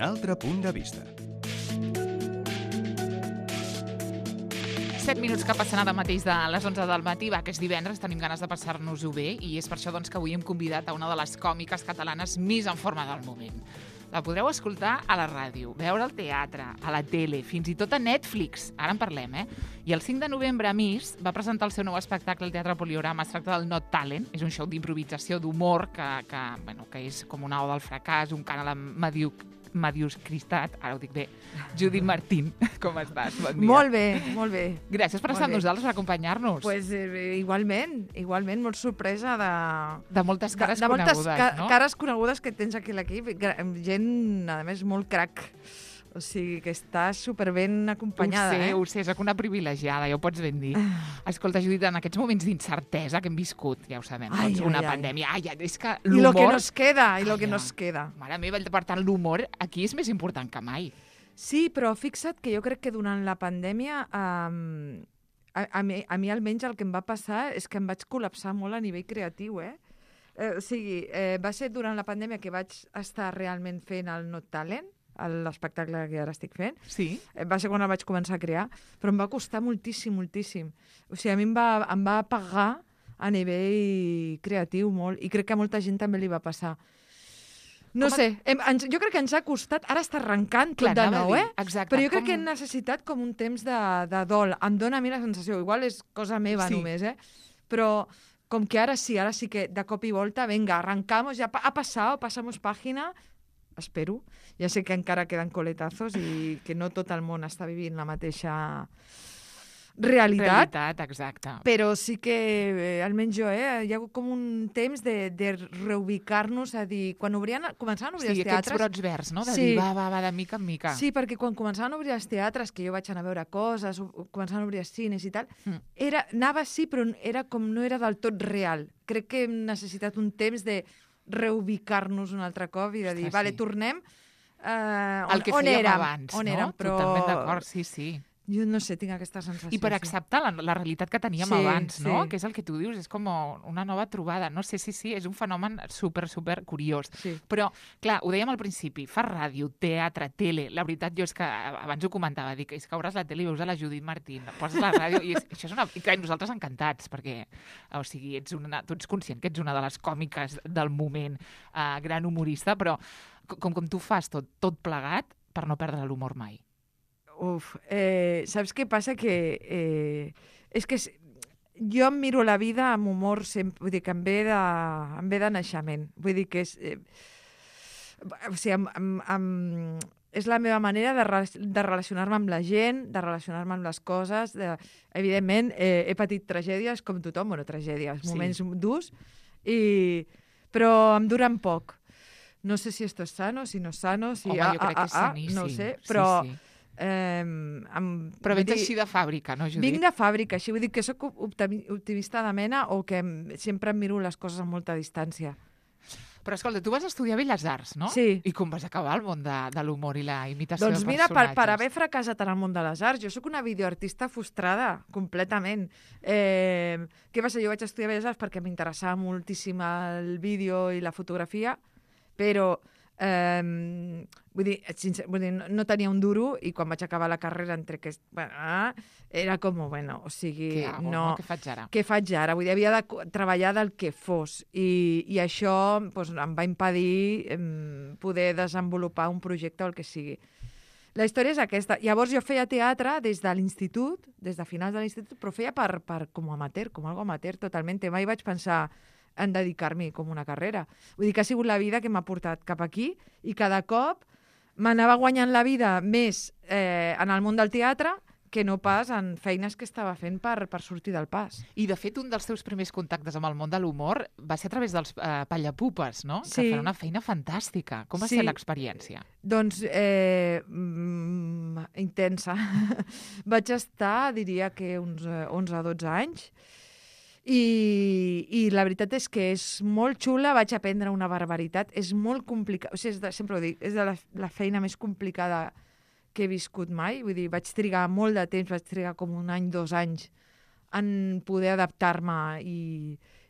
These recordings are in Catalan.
altre punt de vista. 7 minuts que passen ara mateix de les 11 del matí, que és divendres, tenim ganes de passar-nos-ho bé i és per això que avui hem convidat a una de les còmiques catalanes més en forma del moment. La podreu escoltar a la ràdio, veure al teatre, a la tele, fins i tot a Netflix. Ara en parlem, I el 5 de novembre, a Miss, va presentar el seu nou espectacle al Teatre Poliorama. Es tracta del Not Talent. És un show d'improvisació, d'humor, que és com una oda al fracàs, un cant a la mediocritat. Ara ho dic bé. Judit Martín, com estàs? Bon dia. Molt bé, molt bé. Gràcies per estar amb nosaltres, per acompanyar-nos. Pues, igualment, molt sorpresa de moltes cares conegudes, no? Cares conegudes que tens aquí a l'equip. Gent, a més, molt crac. O sigui, que està superben acompanyada. Ho sé, soc una privilegiada, ja ho pots ben dir. Escolta, Judit, en aquests moments d'incertesa que hem viscut, ja ho sabem, una pandèmia. És que l'humor... I lo que nos queda, Mare meva, per tant, l'humor aquí és més important que mai. Sí, però fixa't que jo crec que durant la pandèmia a mi almenys el que em va passar és que em vaig col·lapsar molt a nivell creatiu, O sigui, va ser durant la pandèmia que vaig estar realment fent el Not Talent, l'espectacle que ara estic fent. Sí. Va ser quan el vaig començar a crear, però em va costar moltíssim. O sigui, a mi em va pagar a nivell creatiu molt, i crec que a molta gent també li va passar. No sé, jo crec que ens ha costat, ara està arrencant tot de nou, Exacte. Però jo crec que hem necessitat com un temps de dol. Em dóna a mi la sensació, igual és cosa meva només, però com que ara sí que de cop i volta, venga, arrancamos, ja ha passat, passamos pàgina, espero. Ja sé que encara queden coletazos i que no tot el món està vivint la mateixa realitat, exacte. Però sí que, almenys jo, hi ha com un temps de reubicar-nos, a dir, quan començaven a obrir els teatres... Sí, aquests brots verds, no? De dir, va, de mica en mica. Sí, perquè quan començaven a obrir els teatres, que jo vaig anar a veure coses, començaven a obrir els cines i tal, anava sí, però no era del tot real. Crec que hem necessitat un temps de reubicar-nos un altre cop i de dir, vale, tornem el que fèiem abans, no? Totalment d'acord, sí. Jo no sé, tinc aquesta sensació. I per acceptar la realitat que teníem abans, no? Que és el que tu dius, és com una nova trobada. No sé, sí, és un fenomen super curiós. Sí. Però, clar, ho dèiem al principi, fa ràdio, teatre, tele. La veritat, jo és que abans ho comentava, dic, és que obres la tele i veus a la Judit Martín, poses la ràdio i això és una... I clar, nosaltres encantats, perquè, o sigui, tu ets conscient que ets una de les còmiques del moment, gran humorista, però com tu fas tot plegat per no perdre l'humor mai. Saps què passa? Que és que jo em miro la vida amb humor sempre, vull dir que em ve de naixement. Vull dir que és... o sigui, és la meva manera de relacionar-me amb la gent, de relacionar-me amb les coses. Evidentment, he patit tragèdies com tothom, tragèdies, moments durs, però em duren poc. No sé si esto es sano, si no es sano, si... Home, jo crec que és saníssim. No ho sé, però... Sí. Però vens així de fàbrica, no, Judit? Vinc de fàbrica, així vull dir que sóc optimista de mena o que sempre em miro les coses amb molta distància. Però escolta, tu vas estudiar Belles Arts, no? Sí. I com vas acabar al món de l'humor i la imitació de personatges? Doncs mira, per haver fracassat en el món de les arts, jo sóc una videoartista frustrada, completament. Què va ser? Jo vaig estudiar Belles Arts perquè m'interessava moltíssim el vídeo i la fotografia, però... vull dir, no tenia un duro i quan vaig acabar la carrera era com, o sigui, què faig ara? Què faig ara? Vull dir, havia de treballar del que fos i això em va impedir poder desenvolupar un projecte o el que sigui. La història és aquesta. Llavors jo feia teatre des de l'institut, des de finals de l'institut, però feia com amateur, com algo amateur totalment. Mai vaig pensar en dedicar-m'hi com una carrera. Vull dir que ha sigut la vida que m'ha portat cap aquí i cada cop m'anava guanyant la vida més en el món del teatre que no pas en feines que estava fent per sortir del pas. I, de fet, un dels teus primers contactes amb el món de l'humor va ser a través dels Pallapupes, no? Sí. Que fan una feina fantàstica. Com va ser l'experiència? Doncs intensa. Vaig estar, diria que uns 11 o 12 anys, i la veritat és que és molt xula, vaig aprendre una barbaritat, és molt complicat, o sigui, sempre ho dic, és de la feina més complicada que he viscut mai, vull dir, vaig trigar molt de temps, vaig trigar com 1 any, 2 anys en poder adaptar-me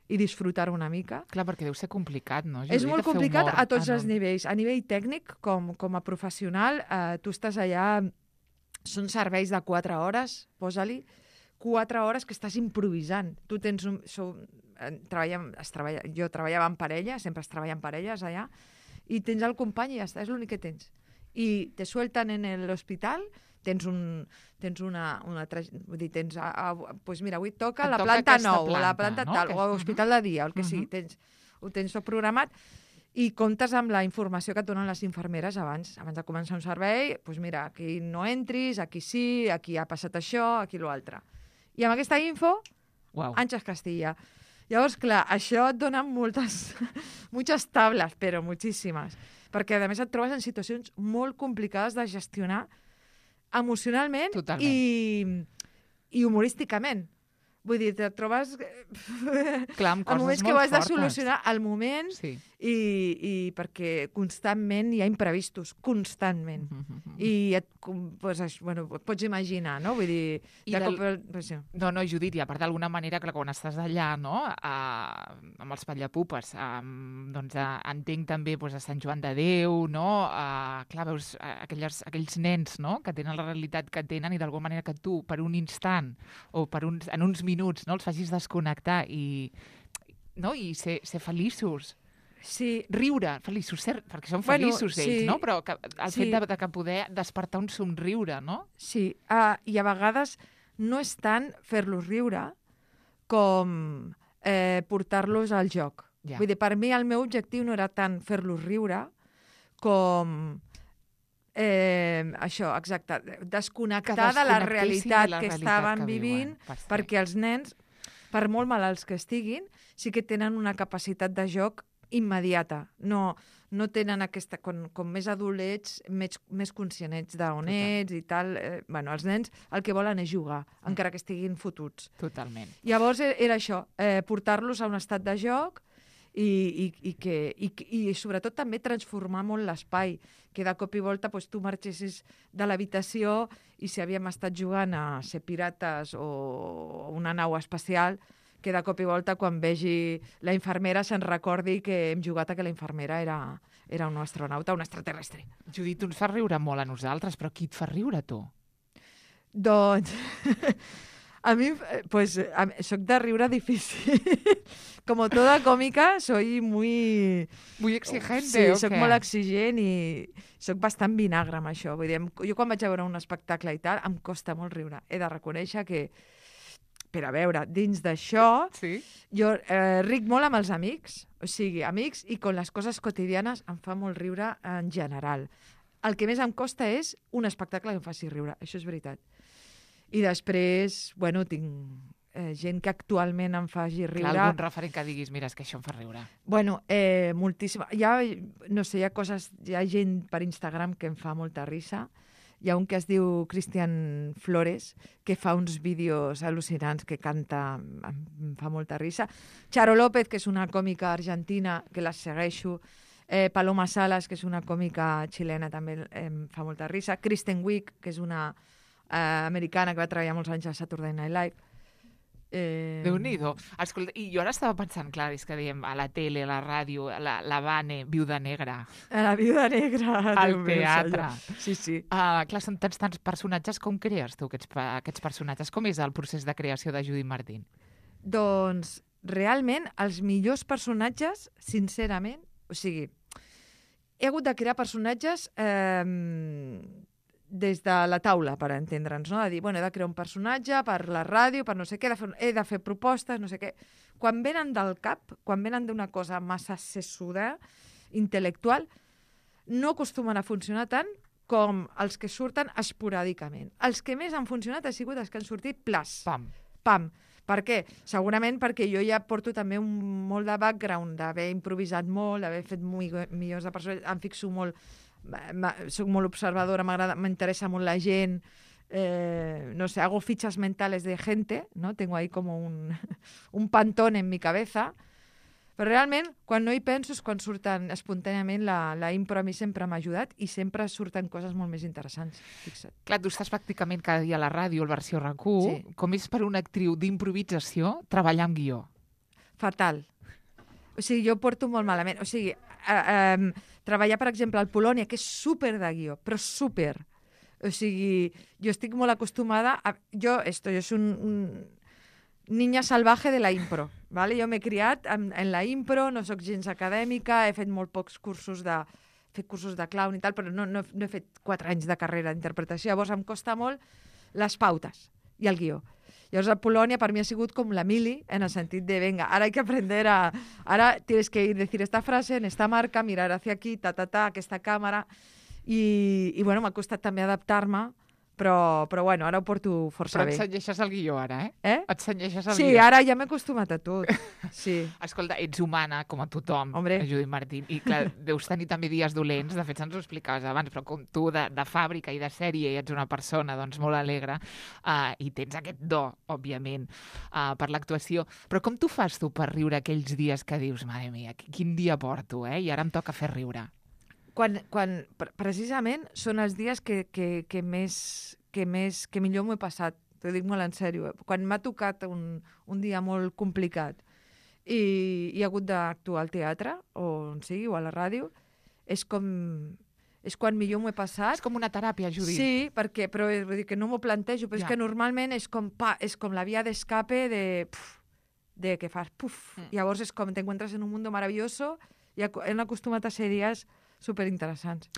i disfrutar-ho una mica. Clar, perquè deu ser complicat, no, Judit? És molt complicat a tots els nivells. A nivell tècnic, com a professional, tu estàs allà... Són serveis de 4 hores, posa-li, 4 hores que estàs improvisant. Tu tens jo treballava en parella, sempre es treballa en parelles allà, i tens el company i ja està, és l'únic que tens. I te suelten en l'hospital, pues mira, avui toca la planta 9, o la planta tal, o l'hospital de dia, el que sigui, ho tens tot programat, i comptes amb la informació que et donen les infermeres abans de començar un servei, doncs mira, aquí no entris, aquí sí, aquí ha passat això, aquí l'altre. I amb aquesta info, Àngels Castilla. Llavors, clar, això et dona moltes tables, però moltíssimes, perquè a més et trobes en situacions molt complicades de gestionar emocionalment i humorísticament. Vull dir, te trobes clar, amb moments que ho has de solucionar al moment i perquè constantment hi ha imprevistos, constantment. I et pots imaginar, no? Vull dir... No, Judit, i a part d'alguna manera, que quan estàs allà, no?, amb els patllepupes, doncs entenc també a Sant Joan de Déu, no? Clar, veus aquells nens, no?, que tenen la realitat que tenen i d'alguna manera que tu, per un instant o en uns minuts, no?, els facis desconnectar i ser feliços. Sí. Riure, feliços, perquè són feliços ells, no? Però el fet de poder despertar un somriure, no? Sí, i a vegades no és tant fer-los riure com portar-los al joc. Vull dir, per mi el meu objectiu no era tant fer-los riure com això, exacte, desconnectar de la realitat que estaven vivint, perquè els nens, per molt malalts que estiguin, sí que tenen una capacitat de joc immediata. No tenen aquesta... Com més adult ets, més conscient ets d'on ets i tal. Els nens el que volen és jugar, encara que estiguin fotuts. Totalment. Llavors era això, portar-los a un estat de joc i sobretot també transformar molt l'espai, que de cop i volta tu marxessis de l'habitació i si havíem estat jugant a ser pirates o una nau espacial, que de cop i volta quan vegi la infermera se'n recordi que hem jugat a que la infermera era un astronauta, un extraterrestre. Judit, tu ens fas riure molt a nosaltres, però qui et fa riure, tu? Doncs... A mi, soc de riure difícil. Como toda còmica, soy muy... Muy exigente, sí, soc molt exigent i soc bastant vinagre amb això. Vull dir, jo quan vaig a veure un espectacle i tal, em costa molt riure. He de reconèixer que, per a veure, dins d'això, jo ric molt amb els amics, o sigui, amics, i con les coses quotidianes em fa molt riure en general. El que més em costa és un espectacle que em faci riure, això és veritat. I després, tinc gent que actualment em faci riure. Clar, algun referent que diguis, mira, és que això em fa riure. Moltíssima. Hi ha gent per Instagram que em fa molta risa. Hi ha un que es diu Cristian Flores, que fa uns vídeos al·lucinants, que canta, em fa molta risa. Charo López, que és una còmica argentina, que la segueixo. Paloma Salas, que és una còmica xilena, també em fa molta risa. Kristen Wiig, que és una americana que va treballar molts anys a Saturday Night Live. Déu-n'hi-do. Escolta, i jo ara estava pensant, clar, és que diem a la tele, a la ràdio, la Vane, Viuda Negra. La Viuda Negra. Al teatre. Sí. Clar, són tants personatges. Com crees tu aquests personatges? Com és el procés de creació de Judit Martín? Doncs, realment, els millors personatges, sincerament, o sigui, he hagut de crear personatges des de la taula, per entendre'ns, no? De dir, he de crear un personatge per la ràdio, per no sé què, he de fer propostes, no sé què. Quan venen del cap, quan venen d'una cosa massa sessuda, intel·lectual, no acostumen a funcionar tant com els que surten esporàdicament. Els que més han funcionat han sigut els que han sortit plas. Pam. Per què? Segurament perquè jo ja porto també molt de background, d'haver improvisat molt, d'haver fet milions de persones, em fixo molt, soc molt observadora, m'interessa molt la gent, no sé, hago fichas mentales de gente, ¿no? Tengo ahí como un pantón en mi cabeza, però realment, quan no hi penso és quan surten espontàniament, la impro a mi sempre m'ha ajudat i sempre surten coses molt més interessants, fixa't. Clar, tu estàs pràcticament cada dia a la ràdio, el versió RAC1, com és per una actriu d'improvisació treballar amb guió? fatal. O sigui, jo porto molt malament. O sigui, treballar, per exemple, al Polònia, que és súper de guió, però súper. O sigui, jo estic molt acostumada a... Jo soy un niña salvaje de la impro, ¿vale? Jo m'he criat en la impro, no sóc gens acadèmica, he fet molt pocs cursos de... He fet cursos de clown i tal, però no he fet 4 anys de carrera d'interpretació. Llavors em costa molt les pautes i el guió. Llavors, a Polònia per mi ha sigut com la mili, en el sentit de, venga, ara hay que aprender a... Ara tienes que decir esta frase en esta marca, mirar hacia aquí, aquesta càmera... I bueno, m'ha costat també adaptar-me, però bueno, ara ho porto força bé. Però et cenyeixes el guió ara, Et cenyeixes el guió. Sí, ara ja m'he acostumat a tot. Sí. Escolta, ets humana, com a tothom, Hombre. Judit Martín, i clar, deus tenir també dies dolents, de fet se'ns ho explicaves abans, però com tu de fàbrica i de sèrie i ets una persona doncs, molt alegre i tens aquest do, òbviament, per l'actuació. Però com tu fas tu per riure aquells dies que dius, mare mia, quin dia porto, i ara em toca fer riure? Quan precisament són els dies que millor m'ho he passat, t'ho dic molt en sèrio. Quan m'ha tocat un dia molt complicat i he hagut d'actuar al teatre, o on sigui, o a la ràdio, és quan millor m'ho he passat. És com una teràpia, Judit. Sí, però vull dir que no m'ho plantejo, però és que normalment és com la via d'escape de que fas puf. Llavors és com t'encuentres en un mundo maravilloso i hem acostumat a ser dies superinteressants.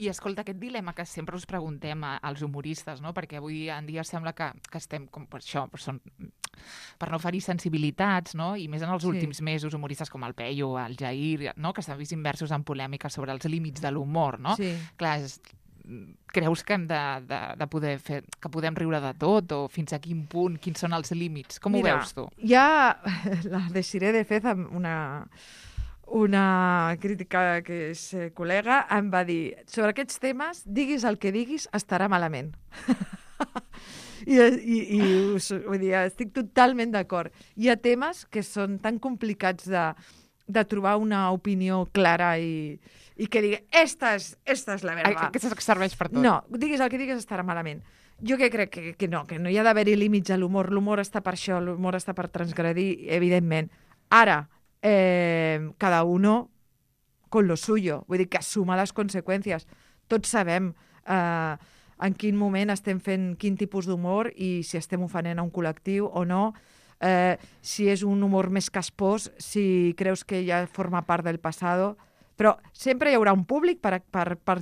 I escolta, aquest dilema que sempre us preguntem als humoristes, no? Perquè avui en dia sembla que estem com per això, per no ferir sensibilitats, no? I més en els últims mesos, humoristes com el Peyu, el Jair, no? Que s'han vist immersos en polèmica sobre els límits de l'humor, no? Sí. Clar, creus que hem de poder fer, que podem riure de tot, o fins a quin punt, quins són els límits? Com ho veus tu? Ja la Desiree de Fez, una crítica que és col·lega, em va dir, sobre aquests temes, diguis el que diguis, estarà malament. I vull dir, estic totalment d'acord. Hi ha temes que són tan complicats de trobar una opinió clara i que digui, esta és la verdad. Que serveix per tot. No, diguis el que diguis, estarà malament. Jo crec que no hi ha d'haver-hi límits a l'humor. L'humor està per això, l'humor està per transgredir, evidentment. Ara, cada uno con lo suyo, vull dir que assuma les conseqüències. Tots sabem en quin moment estem fent quin tipus d'humor i si estem ofenent a un col·lectiu o no, si és un humor més caspós, si creus que ja forma part del passado, però sempre hi haurà un públic per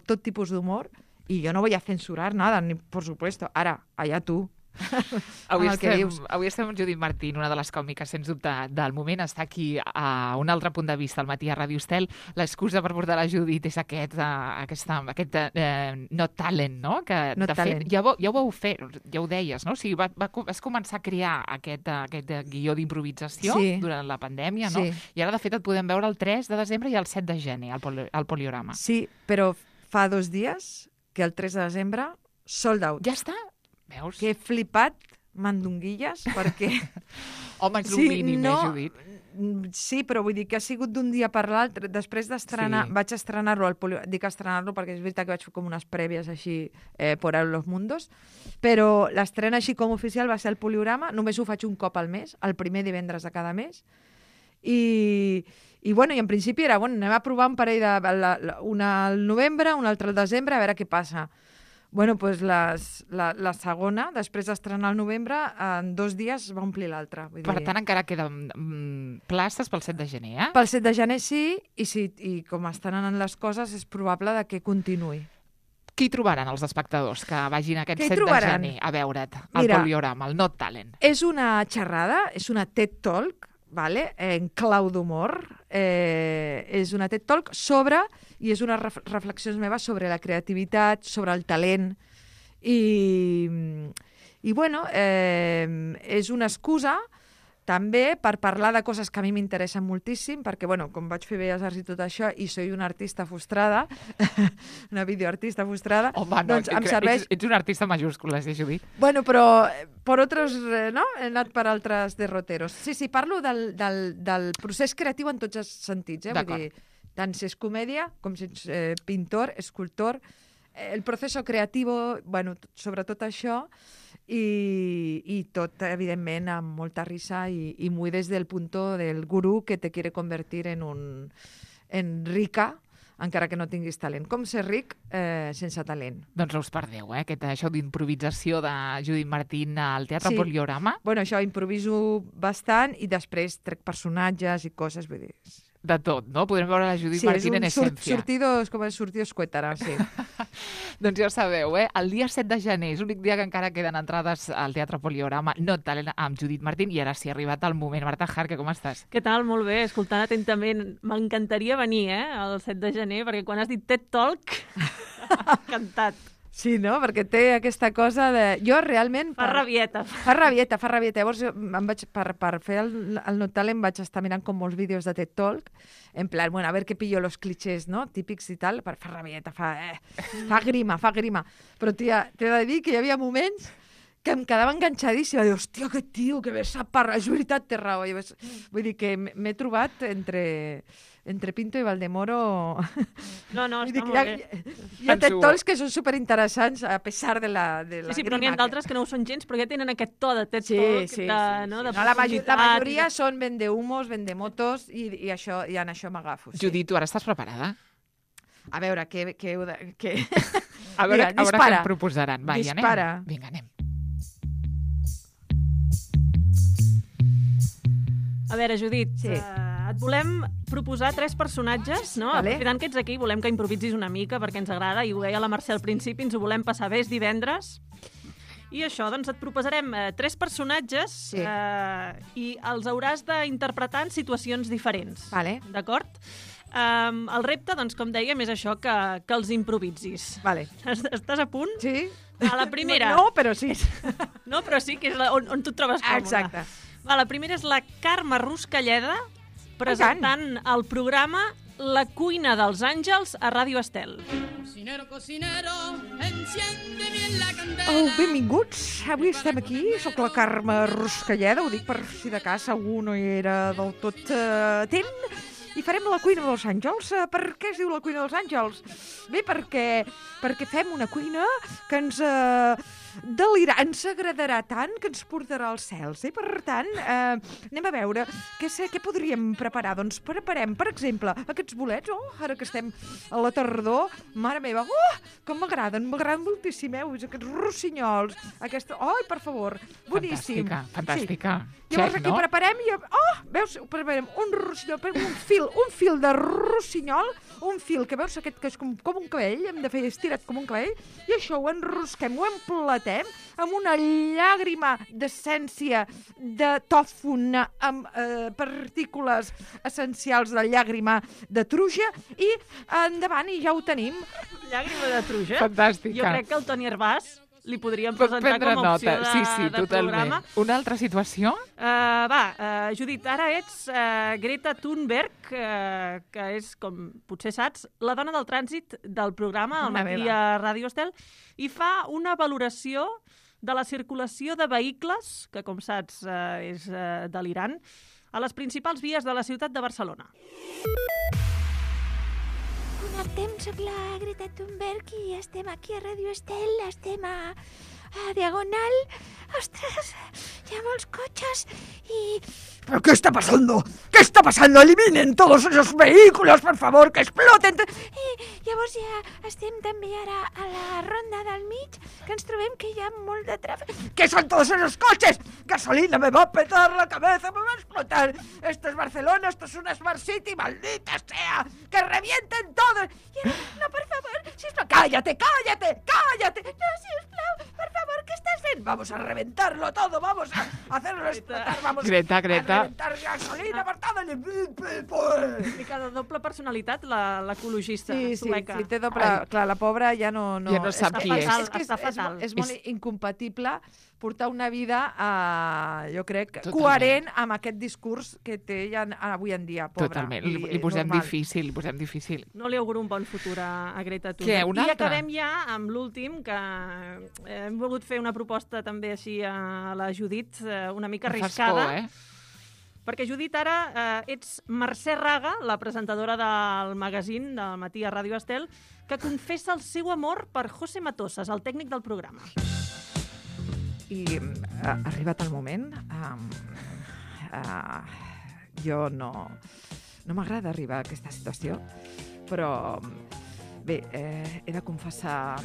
tot tipus d'humor i jo no voy a censurar nada, ni por supuesto. Ara, allà tu. Avui estem amb Judit Martín, una de les còmiques, sens dubte, del moment. Està aquí a un altre punt de vista, al matí a Ràdio Estel. L'excusa per portar la Judit és aquest Not Talent, no? Que, Not Talent. Fet, ja ho vau fer, ja ho deies, no? O sigui, vas començar a crear aquest guió d'improvisació durant la pandèmia, no? I ara, de fet, et podem veure el 3 de desembre i el 7 de gener, al Poliorama. Sí, però fa 2 dies que el 3 de desembre sold out. Ja està? Veus? Que he flipat mandonguilles, perquè... Home, és el mínim, Judit. Sí, però vull dir que ha sigut d'un dia per l'altre. Després d'estrenar, vaig estrenar-lo dic estrenar-lo perquè és veritat que vaig fer com unes prèvies així por ahí los mundos, però l'estrena així com oficial va ser el Poliorama. Només ho faig un cop al mes, el primer divendres de cada mes. I en principi era, anem a provar un parell una al novembre, una altra al desembre, a veure què passa. Bueno, doncs la segona, després d'estrenar al novembre, en 2 dies va omplir l'altra. Per tant, encara queden places pel 7 de gener, eh? Pel 7 de gener sí, i com estan anant les coses, és probable que continuï. Qui trobaran els espectadors que vagin aquest 7 de gener a veure't al Poliorama, el Not Talent? És una xerrada, és una TED Talk, vale? En clau d'humor. És una TED Talk i és unes reflexions meves sobre la creativitat, sobre el talent i és una excusa també per parlar de coses que a mi m'interessen moltíssim, perquè, com vaig fer Belles Arts i tot això, i soy una artista frustrada, una videoartista frustrada, home, no, doncs em serveix... Ets una artista majúscula, Judit. Bueno, però per altres, no? He anat per altres derroteros. Sí, parlo del procés creatiu en tots els sentits, vull dir, tant si és comèdia, com si ets pintor, escultor, el procés creatiu, sobre tot això, y tot, evidentment, amb molta risa y muy desde el punto del gurú que te quiere convertir en rica, encara que no tinguis talent. Com ser ric sense talent. Doncs no us perdeu, aquest show d'improvisació de Judit Martín al Teatre Poliorama. Bueno, això improviso bastant i després trec personatges i coses, vull dir... De tot, no? Podrem veure la Judit Martín en essència. Sortidos cuétara, sí. Doncs ja ho sabeu, el dia 7 de gener és l'únic dia que encara queden entrades al Teatre Poliorama, no talent amb Judit Martín, i ara sí ha arribat el moment. Marta Jarque, com estàs? Què tal? Molt bé, escoltant atentament. M'encantaria venir, el 7 de gener, perquè quan has dit TED Talk, encantat. Sí, no? Perquè té aquesta cosa de... Jo realment... Fa rabieta. Fa rabieta. Llavors, per fer el Not Talent vaig estar mirant com molts vídeos de TED Talk, en plan, bueno, a ver qué pillo los clichés, no?, típics i tal, fa rabieta, fa grima. Però, tia, t'he de dir que hi havia moments que em quedava enganxadíssima. Dic, hòstia, aquest tio, que bé sap parlar. És veritat, té raó. Vull dir que m'he trobat entre Pinto i Valdemoro... No, està molt bé. Hi ha TED Talks que són superinteressants a pesar de la Sí, però n'hi ha d'altres que no ho són gens, però ja tenen aquest to de TED Talk. Sí. La majoria són vendehumos, vendemotos, i en això m'agafo. Judit, tu ara estàs preparada? A veure, què... A veure què em proposaran. Va, ja anem. Vinga, anem. A veure, Judit, et volem proposar 3 personatges, no? Vale. Aprofitant que ets aquí, volem que improvisis una mica perquè ens agrada, i ho deia la Mercè al principi, ens ho volem passar bé, és divendres. I això, doncs et proposarem 3 personatges i els hauràs d'interpretar en situacions diferents. Vale. D'acord? El repte, doncs, com dèiem, és això, que els improvisis. Vale. Estàs a punt? Sí. A la primera... No, però sí. No, però sí, que és on tu et trobes còmode. Exacte. La primera és la Carme Ruscalleda presentant el programa La cuina dels àngels a Ràdio Estel. Benvinguts. Avui estem aquí. Soc la Carme Ruscalleda. Ho dic per si de cas algú no hi era del tot atent. I farem la cuina dels àngels. Per què es diu la cuina dels àngels? Bé, perquè fem una cuina que ens ens agradarà tant que ens portarà als cels. Per tant, anem a veure què podríem preparar. Doncs preparem, per exemple, aquests bolets. Ara que estem a la tardor, mare meva, com m'agraden moltíssim, aquests rossinyols. Per favor, boníssim. Fantàstica. Sí. Llavors aquí preparem veus, preparem un rossinyol, un fil de rossinyol, un fil que veus aquest que és com un cabell, hem de fer estirat com un cabell, i això ho enrosquem, ho emplatem amb una llàgrima d'essència de tòfon amb partícules essencials de llàgrima de truja, i endavant, i ja ho tenim. Llàgrima de truja? Fantàstica. Jo crec que el Toni Hervàs li podríem presentar com a opció de programa. Una altra situació? Judit, ara ets Greta Thunberg, que és, com potser saps, la dona del trànsit del programa al matí a Ràdio Estel, i fa una valoració de la circulació de vehicles, que com saps és delirant, a les principals vies de la ciutat de Barcelona. Connectem, soc la Greta Thunberg i estem aquí a Ràdio Estel, estem a Diagonal. Ostres, hi ha molts cotxes i... ¿Pero qué está pasando? ¿Qué está pasando? Eliminen todos esos vehículos, por favor, que exploten. I llavors ja estem també ara a la ronda del mig, que ens trobem que hi ha molt de tràfic. ¿Qué son todos esos coches? Gasolina, me va a petar la cabeza, me va a explotar. Esto es Barcelona, esto es una Smart City, maldita sea. ¡Que revienten todos! No, por favor, sisplau. ¡Cállate! No, sisplau, por favor, ¿qué estás haciendo? Vamos a reventarlo todo, vamos a hacerlo explotar, vamos Greta. a reventar gasolina per todo el... Mica de doble personalitat, l'ecologista sueca. Sí, té doble... Clar, la pobra ja no sap qui és. Està fatal. És molt incompatible portar una vida, jo crec, coherent amb aquest discurs que té ja avui en dia, pobra. Totalment, li posem difícil. No li auguro un bon futur a Greta Thunberg. Què, un altre? I acabem ja amb l'últim, que hem volgut fer una proposta també així a la Judit, una mica arriscada. Fas por, Perquè, Judit, ara ets Mercè Raga, la presentadora del magazín del matí a Ràdio Estel, que confessa el seu amor per José Matosas, el tècnic del programa. I ha arribat el moment. Jo no m'agrada arribar a aquesta situació, però bé, he de confessar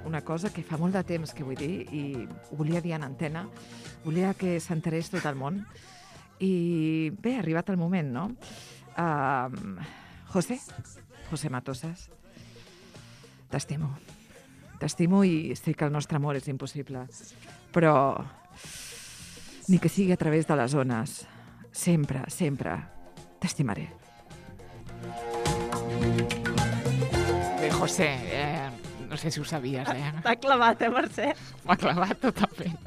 una cosa que fa molt de temps que vull dir i ho volia dir en antena, volia que s'enterés tot el món i bé, ha arribat el moment, no? José Matosas, t'estimo i sé que el nostre amor és impossible, però ni que sigui a través de les ones, sempre t'estimaré. Bé, José, no sé si ho sabies, T'ha clavat, Mercè? M'ha clavat totalment.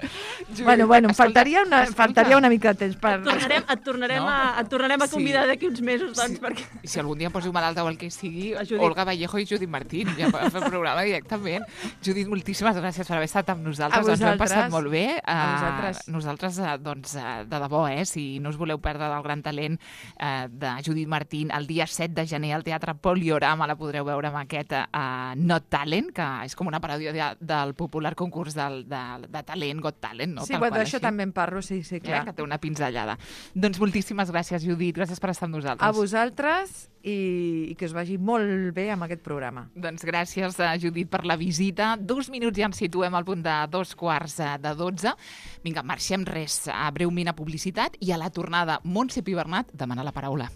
Bueno, em faltaria una mica de temps per... Et tornarem a convidar d'aquí uns mesos, doncs, perquè... I si algun dia poso malalta o el que sigui, Olga Vallejo i Judit Martín, ja per fer el programa directament. Judit, moltíssimes gràcies per haver estat amb nosaltres. Ens ho hem passat molt bé. Nosaltres, doncs, de debò, si no us voleu perdre del gran talent de Judit Martín, el dia 7 de gener al Teatre Poliorama la podreu veure amb aquest Not Talent, que és com una paròdia del popular concurs de talent, Got Talent, no? Sí, d'això també en parlo, sí, clar. Que té una pinzellada. Doncs moltíssimes gràcies, Judit, gràcies per estar amb nosaltres. A vosaltres i que us vagi molt bé amb aquest programa. Doncs gràcies, Judit, per la visita. 2 minuts ja ens situem al punt de 11:45. Vinga, marxem res, breument a publicitat i a la tornada Montse Pibernat demana la paraula.